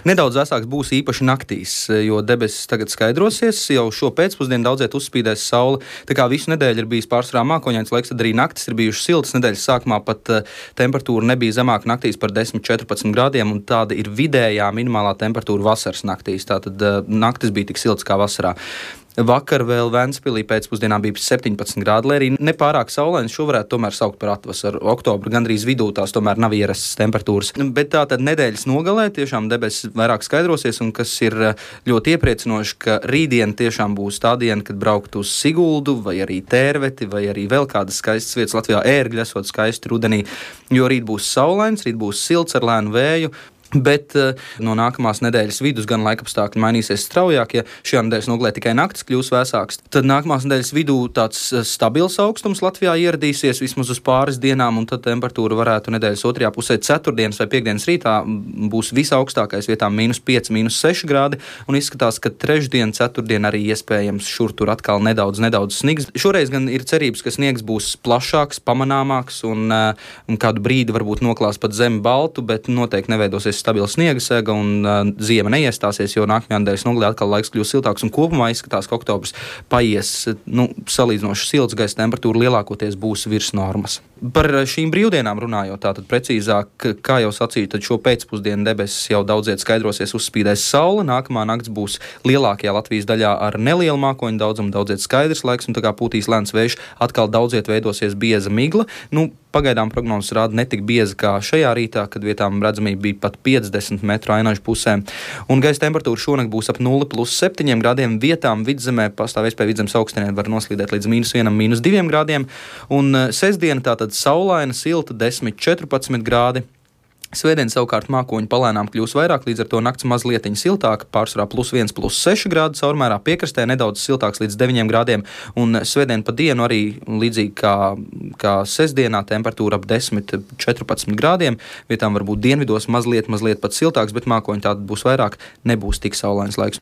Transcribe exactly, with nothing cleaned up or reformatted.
Nedaudz vēsāks būs īpaši naktīs, jo debesis tagad skaidrosies. Jau šo pēcpusdienu daudziet uzspīdēs saule. Tā kā visu nedēļu ir bijis pārsvarā mākoņains laiks, tad arī naktis ir bijušas siltas. Nedēļas sākumā pat temperatūra nebija zemāka naktīs par desmit līdz četrpadsmit grādiem, un tāda ir vidējā minimālā temperatūra vasaras naktīs. Tātad naktis bija tik silts kā vasarā. Vakar vēl Ventspilī pēcpusdienā bija septiņpadsmit grādi, lai arī nepārāk saulains. Šo varētu tomēr saukt par atvasaru. Oktobra gandrīz vidū tās tomēr nav ierastas temperatūras. Bet tā tad nedēļas nogalē tiešām debesis vairāk skaidrosies, un kas ir ļoti iepriecinoši, ka rītdien tiešām būs tā diena, kad braukt uz Siguldu vai arī Tērveti vai arī vēl kādas skaistas vietas Latvijā. Ērgļi esot skaisti rudenī, jo rīt būs saulains, rīt būs silts ar lēnu vēju. Bet uh, no nākamās nedēļas vidus gan laikapstākļi mainīsies straujāk. Ja šajā nedēļas nogalē tikai naktis kļūs vēsāks, tad nākamās nedēļas vidū tāds stabils augstums Latvijā ieradīsies vismaz uz pāris dienām, un tad temperatūra varētu nedēļas otrajā pusē ceturtdienas vai piekdienas rītā būs visaugstākais, vietām mīnus pieci, mīnus seši grādi, un izskatās, ka trešdien, ceturtdien arī iespējams šur tur atkal nedaudz, nedaudz snigs. Šoreiz gan ir cerības, ka sniegs būs plašāks, pamanāmāks, un, uh, un kādu brīdi varbūt noklās pat zemi baltu, bet noteikti neveidosies stabila sniega sega, un uh, ziema neiestāsies, jo nākamajā nedēļas nogalē atkal laiks kļūs siltāks, un kopumā izskatās, ka oktobrs paies nu, salīdzinoši silts, gaisa temperatūra lielākoties būs virs normas. Par šīm brīvdienām runājot, tātad precīzāk, kā jau sacīju, tad šo pēcpusdienu debesis jau daudziet skaidrosies, uzspīdēs saule, nākamā nakts būs lielākajā Latvijas daļā ar nelielu mākoņu daudzumu, daudziet skaidrs laiks, un tā kā pūtīs lēns vējš, atkal daudziet veidosies bieza migla. Nu, pagaidām prognozes rāda netik bieza kā šajā rītā, kad vietām redzamība bija pat piecdesmit metru ainažu pusē. Un gaisa temperatūra šonakt būs ap nulli plus septiņiem grādiem. Vietām vidzemē pastāv iespēja vidzemes augstienē var noslīdēt līdz mīnus vienam, mīnus diviem grādiem. Un sestdiena tātad saulaina, silta, desmit, četrpadsmit grādi. Svētdien savukārt mākoņi palēnām kļūs vairāk, līdz ar to nakts mazlietiņa siltāka, pārsvarā plus viens, plus seši grādi, caurmērā piekrastē nedaudz siltāks līdz deviņiem grādiem, un svētdien pa dienu arī līdzīgi kā, kā sestdienā temperatūra ap desmit, četrpadsmit grādiem, vietām varbūt dienvidos mazliet, mazliet pat siltāks, bet mākoņi tātad būs vairāk, nebūs tik saulains laiks.